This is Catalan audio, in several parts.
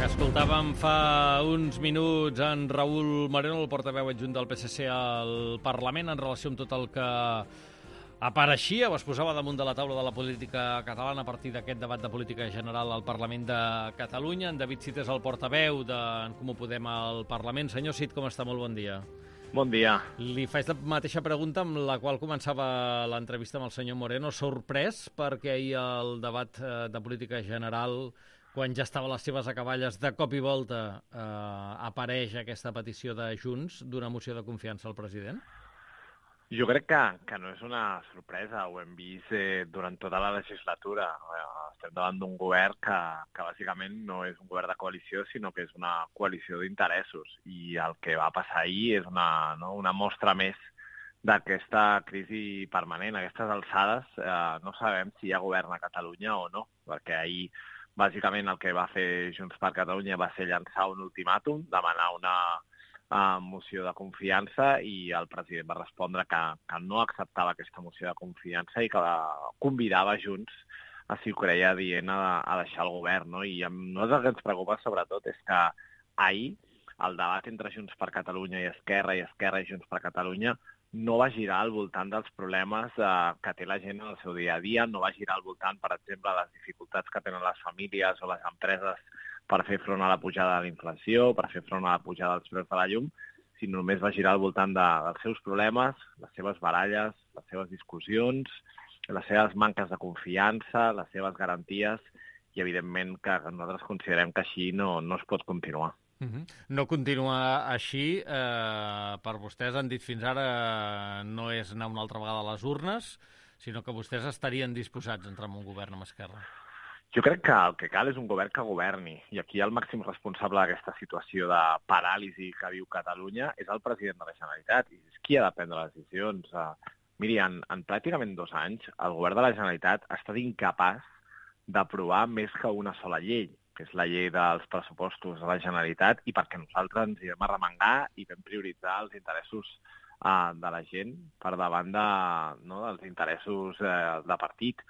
Escoltàvem fa uns minuts en Raül Moreno, el portaveu adjunt del PSC al Parlament, en relació amb tot el que apareixia o es posava damunt de la taula de la política catalana a partir d'aquest debat de política general al Parlament de Catalunya. En David Cid és el portaveu d'en Comú Podem al Parlament. Senyor Cid, com està? Molt bon dia. Bon dia. Li faig la mateixa pregunta amb la qual començava l'entrevista amb el senyor Moreno. Sorprès perquè ahir el debat de política general, quan ja estava a les seves acaballes, de cop i volta apareix aquesta petició de Junts d'una moció de confiança al president? Jo crec que no és una sorpresa, ho hem vist durant tota la legislatura. Estem davant d'un govern que bàsicament no és un govern de coalició, sinó que és una coalició d'interessos. I el que va passar ahir és una mostra més d'aquesta crisi permanent. A aquestes alçades no sabem si hi ha govern a Catalunya o no, perquè ahir bàsicament el que va fer Junts per Catalunya va ser llançar un ultimàtum, demanar una moció de confiança, i el president va respondre que no acceptava aquesta moció de confiança i que convidava Junts, a si ho creia adient, a deixar el govern, no? I a nosaltres el que ens preocupa sobretot és que ahir el debat entre Junts per Catalunya i Esquerra i Junts per Catalunya no va girar al voltant dels problemes que té la gent en el seu dia a dia, no va girar al voltant, per exemple, de les dificultats que tenen les famílies o les empreses per fer front a la pujada de la inflació, per fer front a la pujada dels preus de la llum, sinó només va girar al voltant dels seus problemes, les seves baralles, les seves discussions, les seves manques de confiança, les seves garanties, i evidentment que nosaltres considerem que així no es pot continuar. No continua així, per vostès han dit fins ara, no és anar una altra vegada a les urnes, sinó que vostès estarien disposats a entrar en un govern amb Esquerra. Jo crec que el que cal és un govern que governi, i aquí el màxim responsable d'aquesta situació de paràlisi que viu Catalunya és el president de la Generalitat, i és qui ha de prendre les decisions. Miri, en pràcticament 2 anys, el govern de la Generalitat ha estat incapaç d'aprovar més que una sola llei, que és la llei dels pressupostos de la Generalitat, i perquè nosaltres ens hi vam arremangar i vam prioritzar els interessos de la gent per davant dels interessos de partit.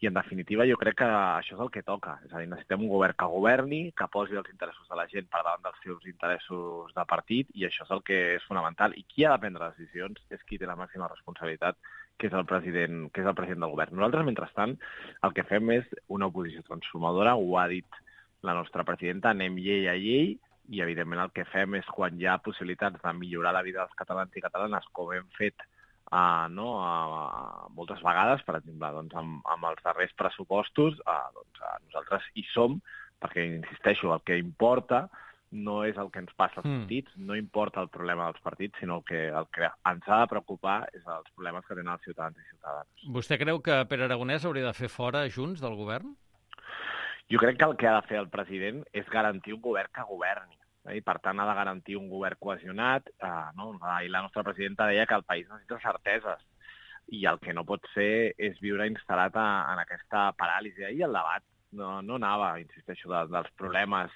I, en definitiva, jo crec que això és el que toca. És a dir, necessitem un govern que governi, que posi els interessos de la gent per davant dels seus interessos de partit, i això és el que és fonamental. I qui ha de prendre decisions és qui té la màxima responsabilitat, que és el president del govern. Nosaltres, mentrestant, el que fem és una oposició transformadora, ho ha dit la nostra presidenta, anem llei a llei, i, evidentment, el que fem és, quan hi ha possibilitats de millorar la vida dels catalans i catalanes, com hem fet moltes vegades, per exemple, amb els darrers pressupostos, nosaltres hi som, perquè, insisteixo, el que importa no és el que ens passa als partits, no importa el problema dels partits, sinó que el que ens ha de preocupar és els problemes que tenen els ciutadans i ciutadanes. Vostè creu que Pere Aragonès hauria de fer fora Junts del govern? Jo crec que el que ha de fer el president és garantir un govern que governi. I, per tant, ha de garantir un govern cohesionat. I la nostra presidenta deia que el país necessita certeses, i el que no pot ser és viure instal·lat en aquesta paràlisi. Ahir el debat no anava, insisteixo, dels problemes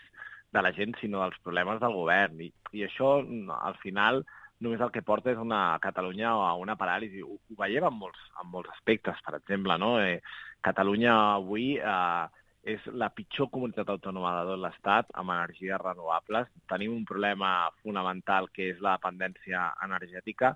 de la gent, sinó dels problemes del govern. I això, al final, només el que porta és una Catalunya a una paràlisi. Ho veiem en molts aspectes, per exemple. Catalunya avui és la pitjor comunitat autònoma de tot l'Estat amb energies renovables. Tenim un problema fonamental, que és la dependència energètica.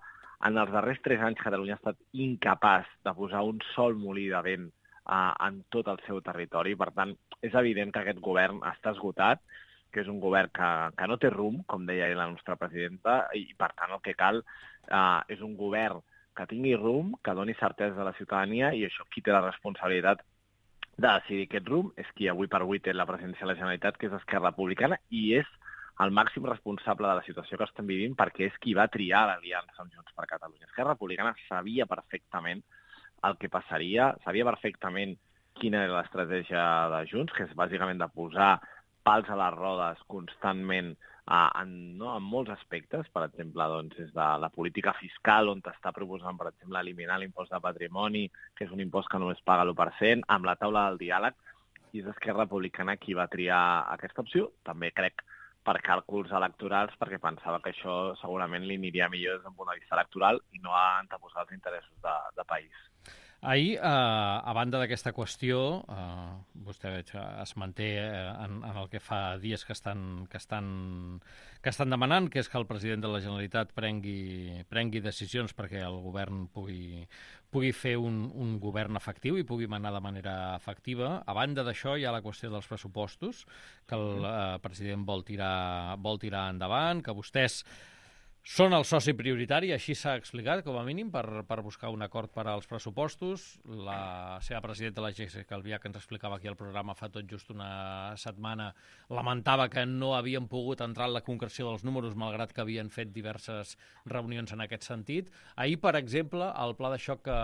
En els darrers 3 anys, Catalunya ha estat incapaç de posar un sol molí de vent en tot el seu territori. Per tant, és evident que aquest govern està esgotat, que és un govern que no té rumb, com deia la nostra presidenta, i, per tant, el que cal és un govern que tingui rumb, que doni certesa a la ciutadania, i això, qui té la responsabilitat de decidir aquest rumb és qui avui per avui té la presidència de la Generalitat, que és Esquerra Republicana, i és el màxim responsable de la situació que estem vivint, perquè és qui va triar l'aliança amb Junts per Catalunya. Esquerra Republicana sabia perfectament el que passaria, sabia perfectament quina era l'estratègia de Junts, que és bàsicament de posar pals a les rodes constantment en molts aspectes, per exemple, des de la política fiscal, on està proposant, per exemple, eliminar l'impost de patrimoni, que és un impost que només paga l'1%, amb la taula del diàleg, i és Esquerra Republicana qui va triar aquesta opció. També crec per càlculs electorals, perquè pensava que això segurament li aniria millor des d'un punt de vista electoral i no a anteposar els interessos de país. Ahir, a banda d'aquesta qüestió, vostè veig, es manté en el que fa dies que estan demanant, que és que el president de la Generalitat prengui decisions perquè el govern pugui fer un govern efectiu i pugui manar de manera efectiva. A banda d'això, hi ha la qüestió dels pressupostos, que el president vol tirar endavant, que vostès són el soci prioritari, així s'ha explicat, com a mínim, per buscar un acord per als pressupostos. La seva presidenta, la Jéssica Albiach, que ens explicava aquí al programa fa tot just una setmana, lamentava que no havien pogut entrar en la concreció dels números, malgrat que havien fet diverses reunions en aquest sentit. Ahir, per exemple, el pla de xoc que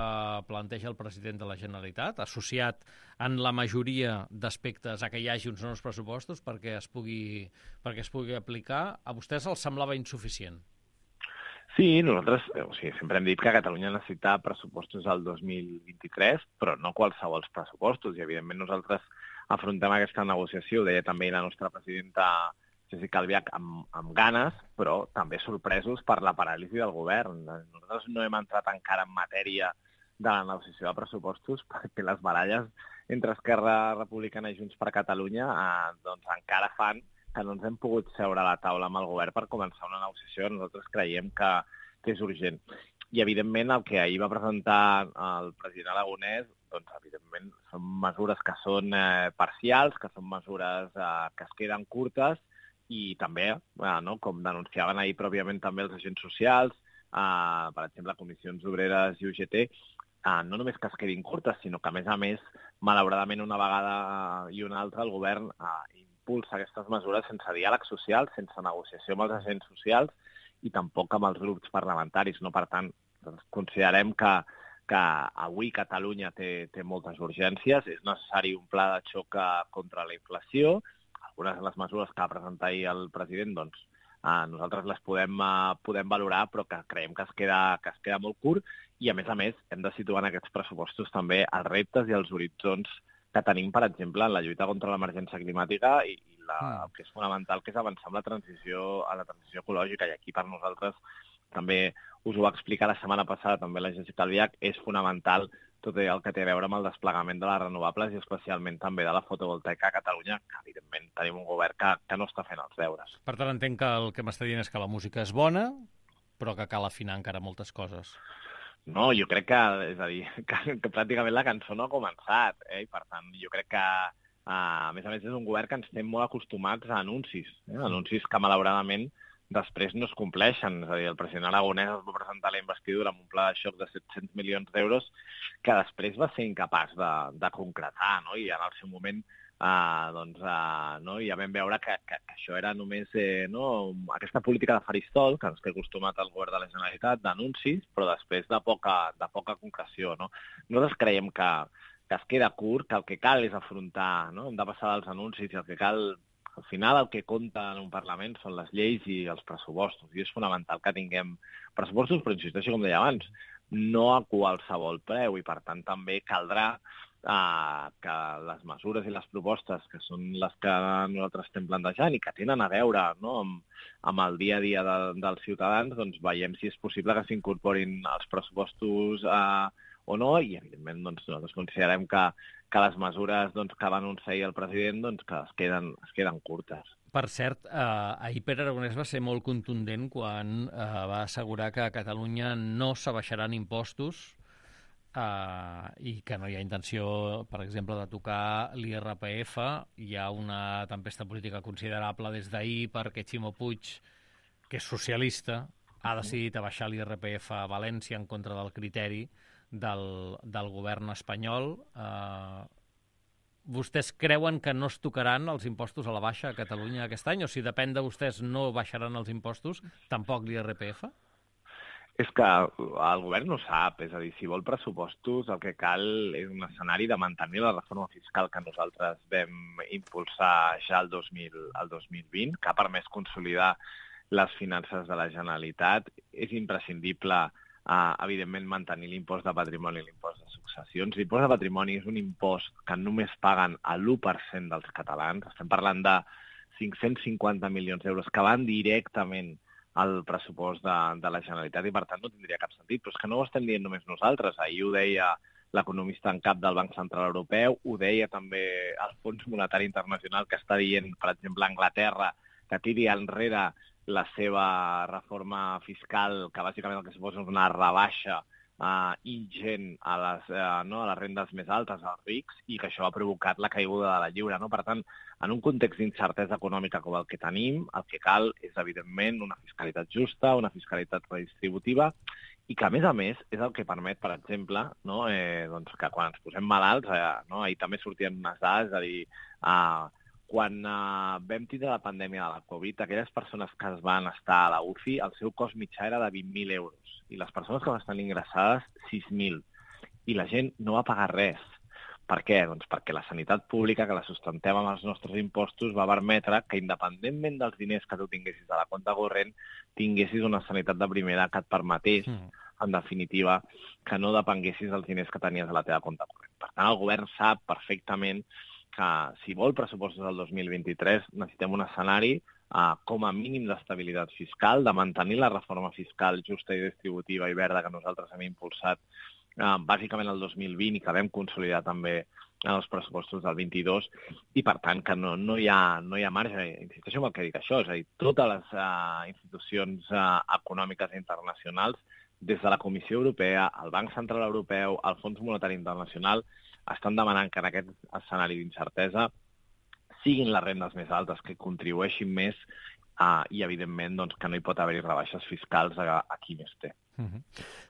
planteja el president de la Generalitat, associat en la majoria d'aspectes a que hi hagi uns nous pressupostos perquè es pugui aplicar, a vostès els semblava insuficient? Sí, nosaltres sempre hem dit que Catalunya necessita pressupostos al 2023, però no qualsevol pressupostos, i evidentment nosaltres afrontem aquesta negociació, ho deia també la nostra presidenta Jéssica Albiach, amb ganes, però també sorpresos per la paràlisi del govern. Nosaltres no hem entrat encara en matèria de la negociació de pressupostos perquè les baralles entre Esquerra Republicana i Junts per Catalunya doncs encara fan que no ens hem pogut seure a la taula amb el govern per començar una negociació. Nosaltres creiem que és urgent. I, evidentment, el que ahir va presentar el president aragonès, doncs, evidentment, són mesures que són parcials, que són mesures que es queden curtes i també, com denunciaven ahir pròpiament també els agents socials, per exemple, Comissions Obreres i UGT, no només que es quedin curtes, sinó que, a més, malauradament, una vegada i una altra, el govern impulsa aquestes mesures sense diàleg social, sense negociació amb els agents socials i tampoc amb els grups parlamentaris. No? Per tant, considerem que avui Catalunya té moltes urgències, és necessari un pla de xoc contra la inflació. Algunes de les mesures que va presentar ahir el president, doncs, nosaltres les podem valorar, però que creiem que es queda molt curt i, a més, hem de situar en aquests pressupostos també els reptes i els horitzons que tenim, per exemple, en la lluita contra l'emergència climàtica i el que és fonamental, que és avançar amb la transició ecològica. I aquí, per nosaltres, també us ho va explicar la setmana passada, també la Jéssica Albiach, és fonamental tot el que té a veure amb el desplegament de les renovables i especialment també de la fotovoltaica a Catalunya, que evidentment tenim un govern que no està fent els deures. Per tant, entenc que el que m'està dient és que la música és bona, però que cal afinar encara moltes coses. No, jo crec que, és a dir, que pràcticament la cançó no ha començat, i per tant jo crec que, a més, és un govern que ens té molt acostumats a anuncis, anuncis que malauradament després no es compleixen. És a dir, el president aragonès es va presentar la investidura amb un pla de xoc de 700 milions d'euros que després va ser incapaç de concretar, no? I en el seu moment ja vam veure que això era només aquesta política de faristol que ens té acostumat el govern de la Generalitat d'anuncis, però després de poca concreció. No? Nosaltres creiem que es queda curt, que el que cal és afrontar, no? Hem de passar dels anuncis i el que cal, al final el que compta en un Parlament són les lleis i els pressupostos, i és fonamental que tinguem pressupostos, però insisteixo, com deia abans, no a qualsevol preu, i per tant també caldrà que les mesures i les propostes que són les que nosaltres estem plantejant i que tenen a veure amb el dia a dia dels ciutadans, doncs veiem si és possible que s'incorporin els pressupostos o no, i evidentment nosaltres considerem que les mesures que va anunciar el president que es queden curtes. Per cert, ahir Pere Aragonès va ser molt contundent quan va assegurar que a Catalunya no s'abaixaran impostos i que no hi ha intenció, per exemple, de tocar l'IRPF. Hi ha una tempesta política considerable des d'ahir perquè Ximo Puig, que és socialista, ha decidit abaixar l'IRPF a València en contra del criteri del govern espanyol. Vostès creuen que no es tocaran els impostos a la baixa a Catalunya aquest any? O si depèn de vostès no baixaran els impostos, tampoc l'IRPF? És que el govern no sap, és a dir, si vol pressupostos el que cal és un escenari de mantenir la reforma fiscal que nosaltres vam impulsar ja el 2020, que ha permès consolidar les finances de la Generalitat. És imprescindible, evidentment, mantenir l'impost de patrimoni i l'impost de successions. L'impost de patrimoni és un impost que només paguen l'1% dels catalans. Estem parlant de 550 milions d'euros que van directament al pressupost de la Generalitat i, per tant, no tindria cap sentit. Però és que no ho estem dient només nosaltres. Ahir ho deia l'economista en cap del Banc Central Europeu, ho deia també el Fons Monetari Internacional, que està dient, per exemple, a Anglaterra, que tiri enrere la seva reforma fiscal, que bàsicament el que suposa és una rebaixa ingent a les rendes més altes, als rics, i que això ha provocat la caiguda de la lliura. No? Per tant, en un context d'incertesa econòmica com el que tenim, el que cal és, evidentment, una fiscalitat justa, una fiscalitat redistributiva, i que, a més, és el que permet, per exemple, no? Doncs que quan ens posem malalts, ahir també sortien unes dades, és a dir, quan vam tindre la pandèmia de la Covid, aquelles persones que es van estar a la UCI, el seu cost mitjà era de 20.000 euros, i les persones que van estar ingressades, 6.000. I la gent no va pagar res. Per què? Doncs perquè la sanitat pública, que la sustentem amb els nostres impostos, va permetre que, independentment dels diners que tu tinguessis a la compte corrent, tinguessis una sanitat de primera que et permetés, en definitiva, que no depenguessis dels diners que tenies a la teva compte corrent. Per tant, el govern sap perfectament que si vol pressupostos del 2023 necessitem un escenari com a mínim d'estabilitat fiscal, de mantenir la reforma fiscal justa i distributiva i verda que nosaltres hem impulsat bàsicament el 2020 i que vam consolidar també en els pressupostos del 22, i per tant que no hi ha marge. Insisteixo en el que dic això, és a dir, totes les institucions econòmiques internacionals, des de la Comissió Europea, el Banc Central Europeu, el Fons Monetari Internacional, estan demanant que en aquest escenari d'incertesa siguin les rendes més altes, que contribueixin més i, evidentment, doncs, que no hi pot haver-hi rebaixes fiscals a qui més té.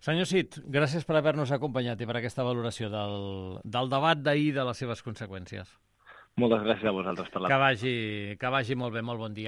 Senyor Cid, gràcies per haver-nos acompanyat i per aquesta valoració del debat d'ahir i de les seves conseqüències. Moltes gràcies a vosaltres per la... Que vagi molt bé, molt bon dia.